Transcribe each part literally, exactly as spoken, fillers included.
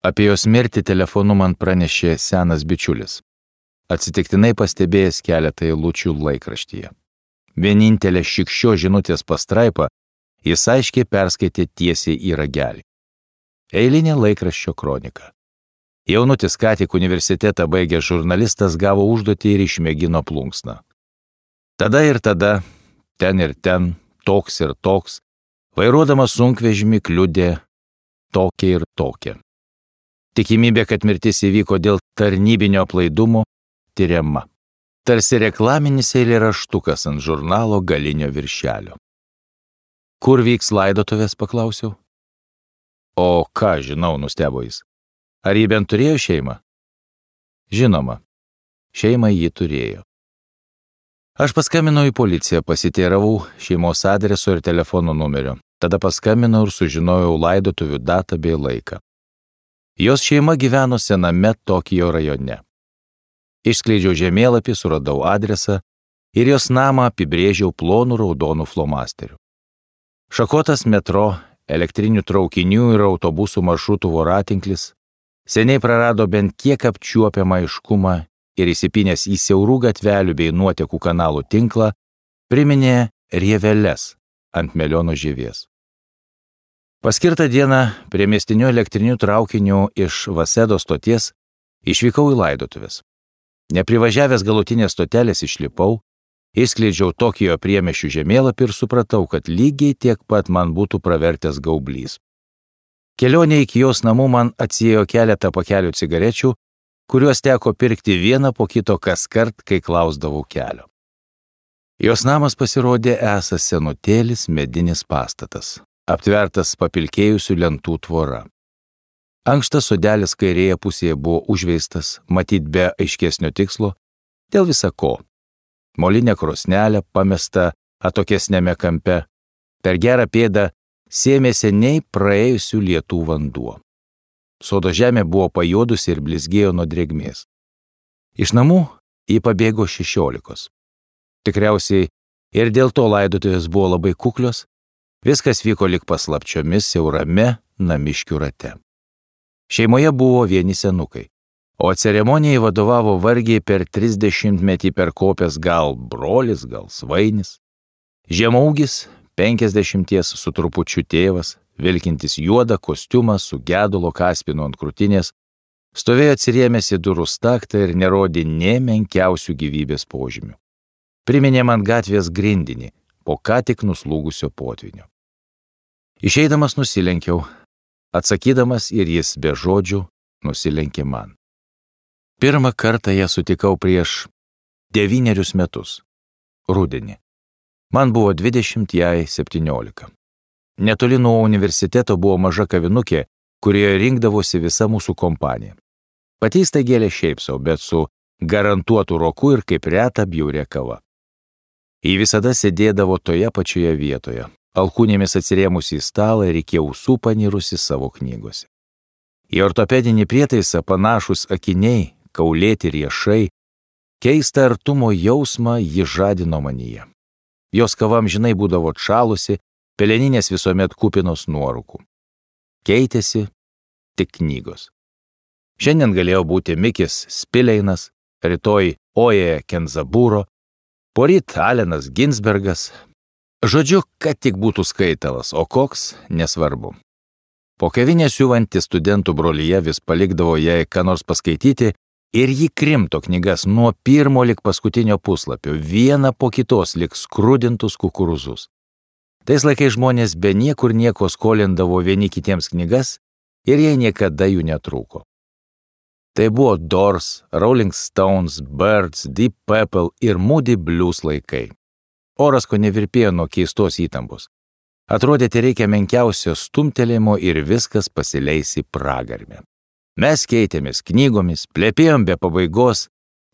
Apie jos mirtį telefonu man pranešė senas bičiulis, atsitiktinai pastebėjęs keletą eilučių laikraštyje. Vienintelė šikščio žinutės pastraipa jis aiškiai perskaitė tiesiai į ragelį. Eilinė laikraščio kronika. Jaunutis ką tik universitetą baigęs žurnalistas gavo užduotį ir išmėgino plunksną. Tada ir tada, ten ir ten, toks ir toks, vairuodamas sunkvežimį kliudė tokia ir tokia. Tikimybė, kad mirtis įvyko dėl tarnybinio aplaidumo, tyriama. Tarsi reklaminis eilėraštukas ant žurnalo galinio viršelio. Kur vyks laidotuvės, paklausiau. O ką žinau, nustebo jis. Ar jį bent turėjo šeimą? Žinoma, šeimą jį turėjo. Aš paskambinau į policiją, pasiteiravau šeimos adreso ir telefono numerio. Tada paskambinau ir sužinojau laidotuvių datą bei laiką. Jos šeima gyveno sename Tokijo rajone. Išskleidžiau žemėlapį, suradau adresą ir jos namą apibrėžiau plonų raudonų flomasterių. Šakotas metro, elektrinių traukinių ir autobusų maršrutų voratinklis seniai prarado bent kiek apčiuopiamą aiškumą ir įsipynęs į siaurų gatvelių bei nuotekų kanalų tinklą priminė rieveles ant meliono žievės. Paskirtą dieną prie miestinių elektrinių traukinių iš Vasedo stoties išvykau į laidotuvės. Neprivažiavęs galutinės stotelės išlipau, išskleidžiau Tokijo priemiesčių žemėlapį ir supratau, kad lygiai tiek pat man būtų pravertęs gaublys. Kelionė iki jos namų man atsiėjo keletą pakelių cigarečių, kuriuos teko pirkti vieną po kito kaskart, kai klausdavau kelio. Jos namas pasirodė esąs senutėlis medinis pastatas, aptvertas papilkėjusių lentų tvora. Ankštas sodelis kairėje pusėje buvo užveistas, matyt be aiškesnio tikslo, dėl visa ko. Molinė krosnelė pamesta atokesnėme kampe, per gerą pėdą sėmė seniai praėjusių lietų vanduo. Sodo žemė buvo pajuodusi ir blizgėjo nuo drėgmės. Iš namų jį pabėgo šešiolikos. Tikriausiai ir dėl to laidotuvės buvo labai kuklios, viskas vyko lyg paslapčiomis siaurame namiškių rate. Šeimoje buvo vieni senukai, o ceremonijai vadovavo vargiai per trisdešimtmetį perkopęs gal brolis, gal svainis. Žemaūgis, penkiasdešimties su trupučiu tėvas, vilkintis juodą kostiumą su gedulo kaspinu ant krūtinės, stovėjo atsirėmęs į durų staktą ir nerodė nė menkiausių gyvybės požymių. Priminė man gatvės grindinį po ką tik nuslūgusio potvynio. Išeidamas nusilenkiau, atsakydamas ir jis be žodžių nusilenkė man. Pirmą kartą ją sutikau prieš devynerius metus, rudenį. Man buvo dvidešimt, jai septyniolika. Netoli nuo universiteto buvo maža kavinukė, kurioje rinkdavosi visa mūsų kompanija. Pati staigėlė šiaip sau, bet su garantuotu roku ir kaip reta bjauria kava. Ji visada sėdėdavo toje pačioje vietoje, alkūnėmis atsirėmusi į stalą ir iki ausų panirusi savo knygose. Į ortopedinį prietaisą panašus akiniai, kaulėti riešai, keistą artumo jausmą ji žadino manyje. Jos kava amžinai būdavo atšalusi, peleninės visuomet kupinos nuorūkų. Keitėsi tik knygos. Šiandien galėjo būti Mikis Spileinas, rytoj Oje Kenzaburo, poryt Alenas Ginsbergas. Žodžiu, kad tik būtų skaitalas, o koks nesvarbu. Po kavinę siuvanti studentų brolyje vis palikdavo jai ką nors paskaityti ir ji krimto knygas nuo pirmo lig paskutinio puslapio, vieną po kitos lig skrudintus kukurūzus. Tais laikais žmonės be niekur nieko skolindavo vieni kitiems knygas ir jai niekada jų netrūko. Tai buvo Doors, Rolling Stones, Birds, Deep Purple ir Moody Blues laikai. Oras ko nevirpėjo nuo keistos įtampos. Atrodė, tai reikia menkiausio stumtelėjimo ir viskas pasileis į pragarmę. Mes keitėmės knygomis, plepėjom be pabaigos,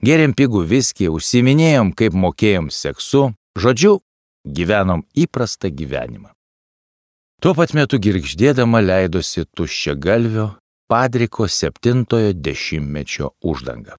gėrėm pigų viskį, užsiminėjom, kaip mokėjom seksu, žodžiu, gyvenom įprastą gyvenimą. Tuo pat metu girgždėdama leidosi tuščiagalvio Padriko septintojo dešimtmečio uždanga.